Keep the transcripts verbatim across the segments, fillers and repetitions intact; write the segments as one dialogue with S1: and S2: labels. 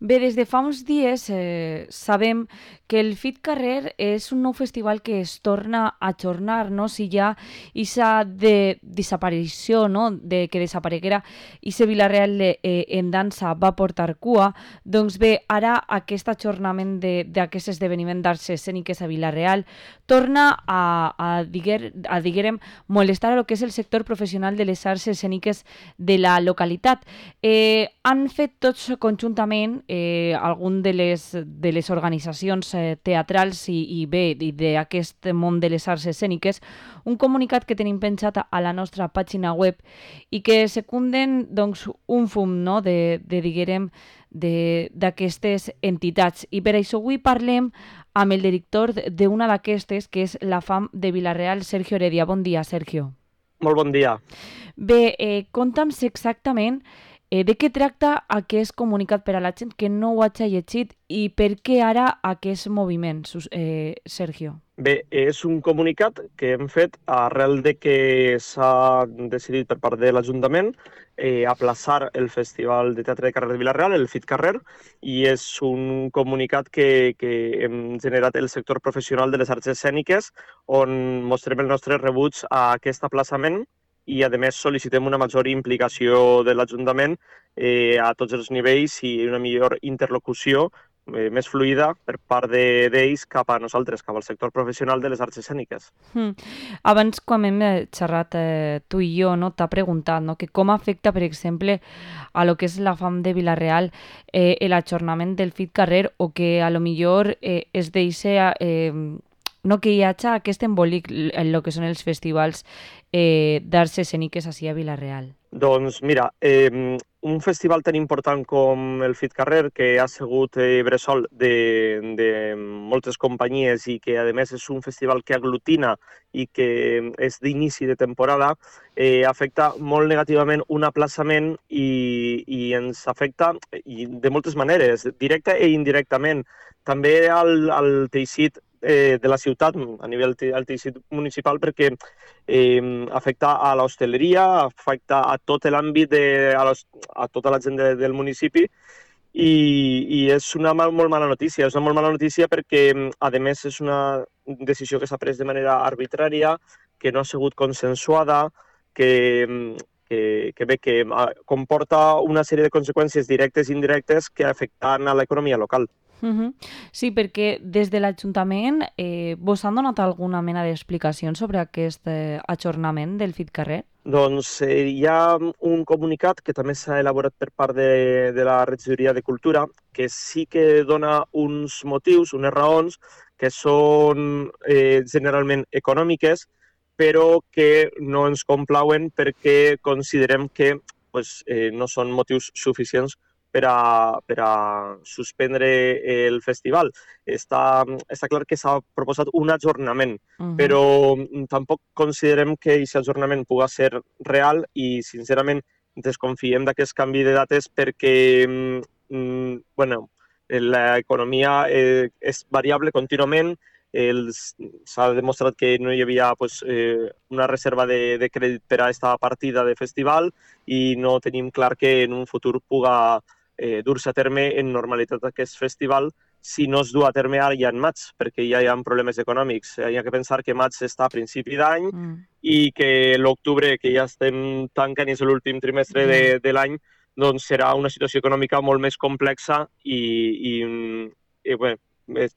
S1: Bé, des de fa uns dies eh, sabem que el Fit Carrer és un nou festival que es torna a ajornar, no? Si ja aquesta de desaparició, no? De que desapareguera Ise Vilareal eh, en dansa va portar cua, doncs bé, ara aquest ajornament d'aquest esdeveniment d'arts escèniques a Vilareal torna a, a, diguer, a diguérem, molestar a lo que és el sector professional de les arts escèniques de la localitat. Eh, han fet tots conjuntament eh, algun de les, de les organitzacions eh, teatrals i, i bé, i d'aquest món de les arts escèniques, un comunicat que tenim penjat a la nostra pàgina web i que secunden doncs, un fum, no?, de, de diguérem, d'aquestes entitats. I per això avui parlem amb el director d'una d'aquestes, que és la FAM de Vilareal, Sergio Heredia. Bon dia, Sergio.
S2: Molt bon dia.
S1: Bé, eh, conta'm exactament eh, de què tracta aquest comunicat per a la gent que no ho hagi llegit i per què ara aquest moviment, eh, Sergio?
S2: Bé, és un comunicat que hem fet arrel de que s'ha decidit per part de l'Ajuntament eh, aplaçar el Festival de Teatre de Carrer de Vilareal, el Fit Carrer, i és un comunicat que, que hem generat el sector professional de les arts escèniques, on mostrem el nostre rebuig a aquest aplaçament i, a més, sol·licitem una major implicació de l'Ajuntament eh, a tots els nivells i una millor interlocució eh, més fluida per part d'ells cap a nosaltres, cap al sector professional de les arts escèniques.
S1: Mm. Abans, quan hem xerrat eh, tu i jo, no, t'ha preguntat no, que com afecta, per exemple, a lo que és la FAM de Vilareal eh, l'ajornament del Fit Carrer o que a lo millor eh, es deixa... Eh, no, que hi hagi aquest embolic en el que són els festivals eh, d'arts escèniques així a Vilareal.
S2: Doncs mira, eh, un festival tan important com el Fit Carrer, que ha sigut eh, bressol de, de moltes companyies i que, a més, és un festival que aglutina i que és d'inici de temporada, eh, afecta molt negativament un aplaçament i, i ens afecta i de moltes maneres, directa i indirectament. També al, al teixit eh, de la ciutat, a nivell del teixit municipal, perquè eh, afecta a l'hostaleria, afecta a tot l'àmbit, de, a, los, a tota la gent de, del municipi i, i és una mal, molt mala notícia. És una molt mala notícia perquè, a més, és una decisió que s'ha pres de manera arbitrària, que no ha sigut consensuada, que, que, que bé, que comporta una sèrie de conseqüències directes i indirectes que afecten a l'economia local.
S1: Uh -huh. Sí, perquè des de l'Ajuntament eh, vos han donat alguna mena d'explicació sobre aquest eh, ajornament del Fit Carrer?
S2: Doncs eh, hi ha un comunicat que també s'ha elaborat per part de, de la Regidoria de Cultura que sí que dona uns motius, unes raons, que són eh, generalment econòmiques, però que no ens complauen perquè considerem que pues, eh, no són motius suficients per a, per a suspendre el festival. Està, està clar que s'ha proposat un ajornament, uh -huh. però tampoc considerem que aquest ajornament pugui ser real i, sincerament, desconfiem d'aquest canvi de dates perquè mm, bueno, l'economia eh, és variable contínuament. S'ha demostrat que no hi havia pues, eh, una reserva de, de crèdit per a aquesta partida de festival i no tenim clar que en un futur pugui eh, dur-se a terme en normalitat aquest festival si no es du a terme ara ja en maig, perquè ja hi ha problemes econòmics. Hi ha que pensar que maig està a principi d'any mm. i que l'octubre, que ja estem tancant i és l'últim trimestre mm. de, de l'any, doncs serà una situació econòmica molt més complexa i, i, i bé,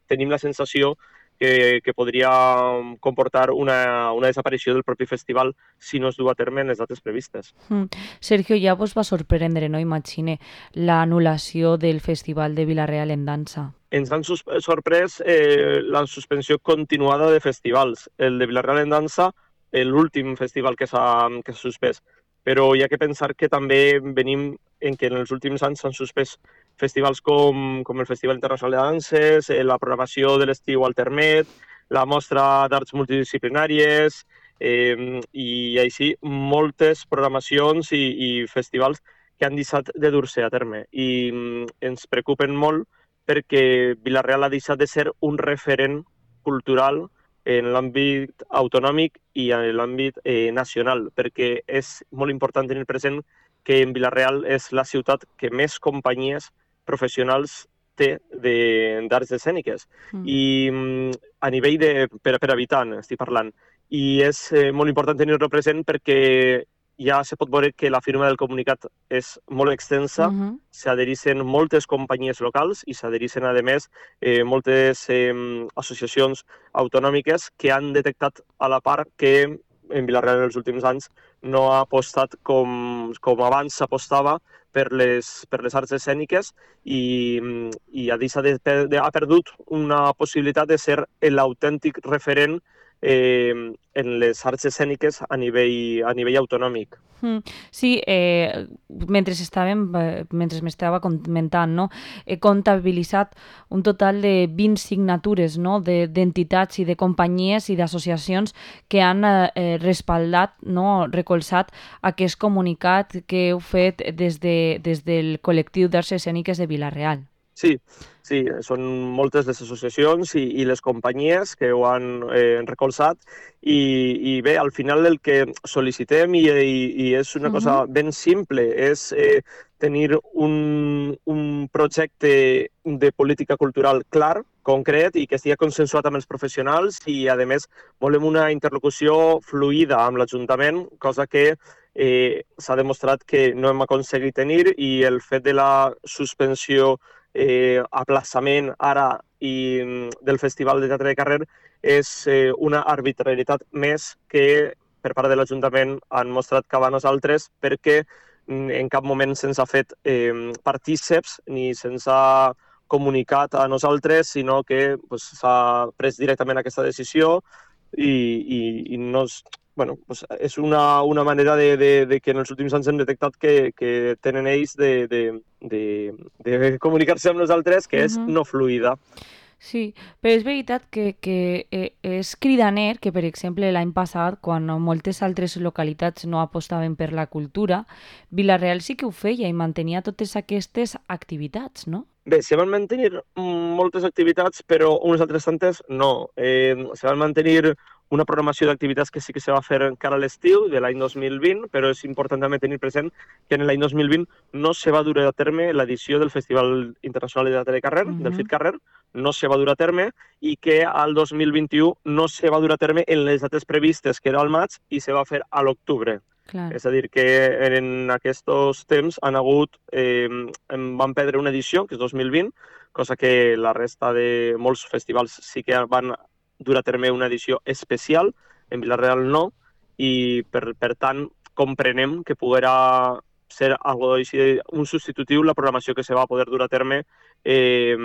S2: tenim la sensació que, que podria comportar una, una desaparició del propi festival si no es du a terme en les dates previstes.
S1: Mm. Sergio, ja vos va sorprendre, no imagine, l'anul·lació del Festival de Vilareal en dansa?
S2: Ens han sorprès eh, la suspensió continuada de festivals. El de Vilareal en dansa, l'últim festival que s'ha suspès. Però hi ha que pensar que també venim en que en els últims anys s'han suspès festivals com, com el Festival Internacional de Danses, la programació de l'estiu al Termet, la mostra d'arts multidisciplinàries eh, i així moltes programacions i, i festivals que han deixat de dur-se a terme. I mm, ens preocupen molt perquè Vilareal ha deixat de ser un referent cultural en l'àmbit autonòmic i en l'àmbit eh, nacional, perquè és molt important tenir present que en Vilareal és la ciutat que més companyies professionals té d'arts escèniques. Mm. I a nivell de, per, per habitant, estic parlant. I és eh, molt important tenir-lo present perquè ja se pot veure que la firma del comunicat és molt extensa, uh-huh. s'adhereixen moltes companyies locals i s'adhereixen, a més, eh, moltes eh, associacions autonòmiques que han detectat a la part que en Vila-real en els últims anys no ha apostat com, com abans s'apostava per les, per les arts escèniques i, i ha, de, de, ha perdut una possibilitat de ser l'autèntic referent eh, en les arts escèniques a nivell, a nivell autonòmic.
S1: Mm, sí, eh, mentre estàvem, eh, mentre m'estava comentant, no? He comptabilitzat un total de vint signatures, no? de, d'entitats i de companyies i d'associacions que han eh, respaldat, no? recolzat aquest comunicat que heu fet des, de, des del col·lectiu d'arts escèniques de Vila-real.
S2: Sí, sí, són moltes les associacions i, i les companyies que ho han eh, recolzat i, i bé, al final el que sol·licitem i, i, i és una uh-huh. cosa ben simple, és eh, tenir un, un projecte de política cultural clar, concret i que estigui consensuat amb els professionals i, a més, volem una interlocució fluida amb l'Ajuntament, cosa que eh, s'ha demostrat que no hem aconseguit tenir i el fet de la suspensió Eh, aplaçament ara i del Festival de Teatre de Carrer és eh, una arbitrarietat més que per part de l'Ajuntament han mostrat cap a nosaltres perquè en cap moment se'ns ha fet eh, partíceps ni se'ns ha comunicat a nosaltres, sinó que pues, s'ha pres directament aquesta decisió i, i, i no és... Bueno, pues és una, una manera de, de, de que en els últims anys hem detectat que, que tenen ells de, de, de, de comunicar-se amb nosaltres, que és uh-huh. no fluida.
S1: Sí, però és veritat que, que és cridaner que, per exemple, l'any passat, quan moltes altres localitats no apostaven per la cultura, Vila-real sí que ho feia i mantenia totes aquestes activitats, no?
S2: Bé, se van mantenir moltes activitats, però unes altres tantes no. Eh, se van mantenir una programació d'activitats que sí que se va fer encara a l'estiu de l'any dos mil vint, però és important també tenir present que en l'any dos mil vint no se va dur a terme l'edició del Festival Internacional de Teatre de Carrer, uh-huh. del F I T Carrer, no se va dur a terme i que al dos mil vint-i-u no se va dur a terme en les dates previstes, que era al maig, i se va fer a l'octubre.
S1: Clar.
S2: És a dir, que en aquests temps han hagut, eh, van perdre una edició, que és dos mil vint, cosa que la resta de molts festivals sí que van dur a terme una edició especial, en Vila-real no, i per, per tant comprenem que poguera ser algo així, un substitutiu la programació que se va poder dur a terme eh,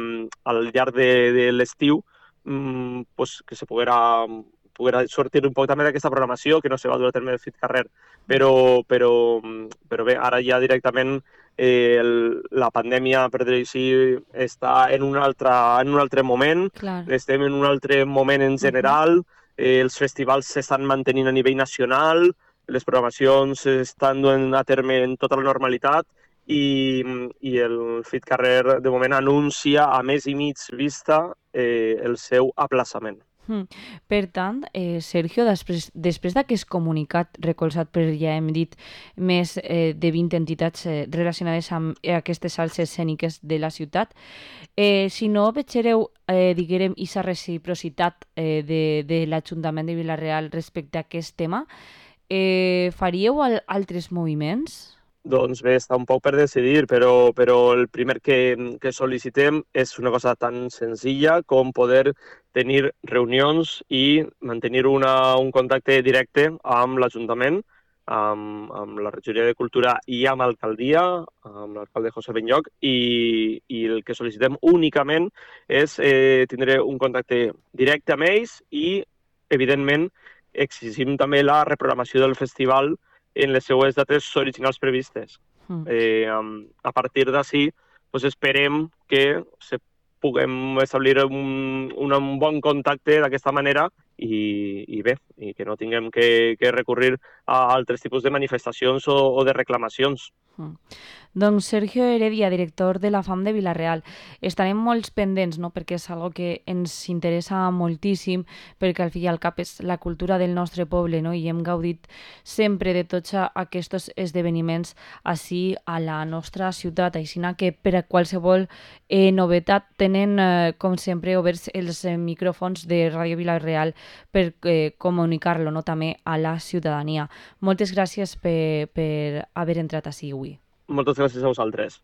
S2: al llarg de, de l'estiu, mm, pues, que se poguera... poguera sortir un poc també d'aquesta programació que no se va dur a terme del F I T Carrer. Però, però, però bé, ara ja directament eh, el, la pandèmia, per dir-ho així, està en un altre, en un altre moment.
S1: Clar.
S2: Estem en un altre moment en general. Uh-huh. eh, els festivals s'estan mantenint a nivell nacional, les programacions estan duent a terme en tota la normalitat i, i el F I T Carrer de moment anuncia a mes i mig vista eh, el seu aplaçament.
S1: Mm. Per tant, eh, Sergio, després, després d'aquest comunicat recolzat per, ja hem dit, més eh, de vint entitats eh, relacionades amb aquestes arts escèniques de la ciutat, eh, si no veureu, eh, diguem, aquesta reciprocitat eh, de, de l'Ajuntament de Vila-real respecte a aquest tema, eh, faríeu al, altres moviments?
S2: Doncs bé, està un poc per decidir, però, però el primer que, que sol·licitem és una cosa tan senzilla com poder tenir reunions i mantenir una, un contacte directe amb l'Ajuntament, amb, amb la Regidoria de Cultura i amb l'alcaldia, amb l'alcalde José Benlloch, i, i el que sol·licitem únicament és eh, tindre un contacte directe amb ells i, evidentment, exigim també la reprogramació del festival en les seues dates originals previstes. Mm. Eh, a partir d'ací, pues esperem que se puguem establir un, un, un bon contacte d'aquesta manera i, i bé, i que no tinguem que, que recurrir a altres tipus de manifestacions o, o de reclamacions.
S1: Mm. Doncs Sergio Heredia, director de la FAM de Vila-real. Estarem molts pendents, no?, perquè és algo que ens interessa moltíssim, perquè al fi i al cap és la cultura del nostre poble, no?, i hem gaudit sempre de tots aquests esdeveniments així a la nostra ciutat, així que per a qualsevol eh, novetat tenen, eh, com sempre, oberts els eh, micròfons de Ràdio Vila-real per eh, comunicar-lo, no?, també a la ciutadania. Moltes gràcies per, per haver entrat així avui.
S2: Moltes gràcies a vosaltres.